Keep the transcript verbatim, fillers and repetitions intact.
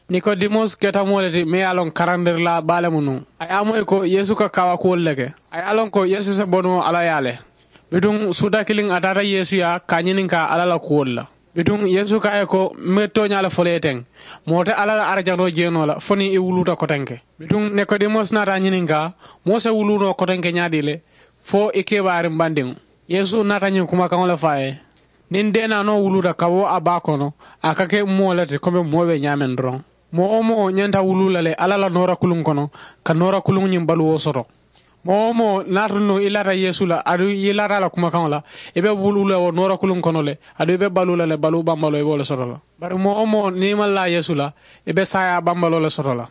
Nikodimos keta moo le ti meŋ ye a loŋ karandirilaa baa le mu nuŋ. A ye a moyi ko yeesu ka kaawakuwolu le ke. A ye a loŋ ko yeesu se bonuŋo alla yaa le. Bituŋ suuta kiliŋ a taata yeesu yaa ka a ñininkaa alla la kuwolu la. Bituŋ yeesu ko a ye ko, mbe tooñaa le fo le ye teŋ? Moo te alla la arajanoo jeenoo la fo niŋ i wuluuta kotenke. Bituŋ nikodimos naata a ñininkaa, moo se wuluu noo kotenke ñaadii le? Fo i kebaariŋ bandiŋo. Yeesu naata ñiŋ kumakaŋo le fo a ye, niŋ deenaanoo wuluuta ka bo a baa kono, a ka ke moo le ti komi moo be ñaameŋ doroŋ. Moo wo moo ñanta wuluu la le alla la noora kuluŋ kono, ka noora kuluŋ ñiŋ baluwo soto. Moo wo moo naata nuŋ i laata yeesu la aduŋ i laata a la kumakaŋo la, i be wuluu la wo noora kuluŋ kono le, aduŋ i be baluu la le baluu bambaloo i be wo le soto la. Bari moo wo moo niŋ i maŋ laa yeesu la, i be saayaa bambaloo le soto la.